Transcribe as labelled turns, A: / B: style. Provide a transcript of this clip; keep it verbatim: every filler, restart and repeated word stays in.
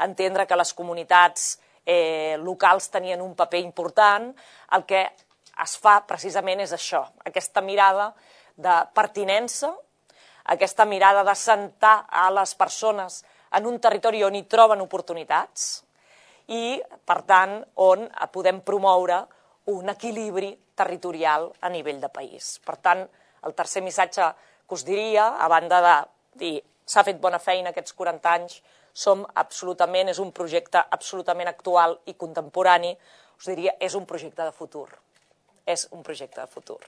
A: entendre que les comunitats eh, locals tenien un paper important, el que es fa precisament és això, aquesta mirada de pertinença, aquesta mirada de sentar a les persones en un territori on hi troben oportunitats i, per tant, on podem promoure un equilibri territorial a nivell de país. Per tant, el tercer missatge que us diria, a banda de dir s'ha fet bona feina aquests quaranta anys, som absolutament, és un projecte absolutament actual i contemporani, us diria, és un projecte de futur. És un projecte de futur.